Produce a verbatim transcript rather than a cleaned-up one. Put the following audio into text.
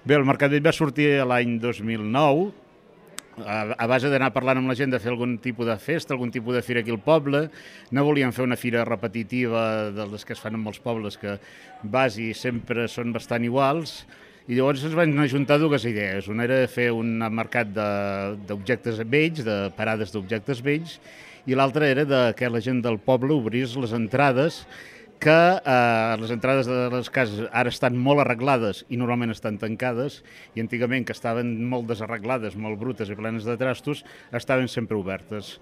Bé, el Mercat Vell va sortir l'any dos mil nou, a, a base d'anar parlant amb la gent de fer algun tipus de festa, algun tipus de fira aquí al poble. No volíem fer una fira repetitiva de les que es fan en molts pobles, que vas i sempre són bastant iguals, i llavors ens van ajuntar dues idees. Una era fer un mercat d'objectes vells, de parades d'objectes vells, i l'altra era de que la gent del poble obrís les entrades, que eh, les entrades de les cases ara estan molt arreglades i normalment estan tancades, i antigament, que estaven molt desarreglades, molt brutes i plenes de trastos, estaven sempre obertes.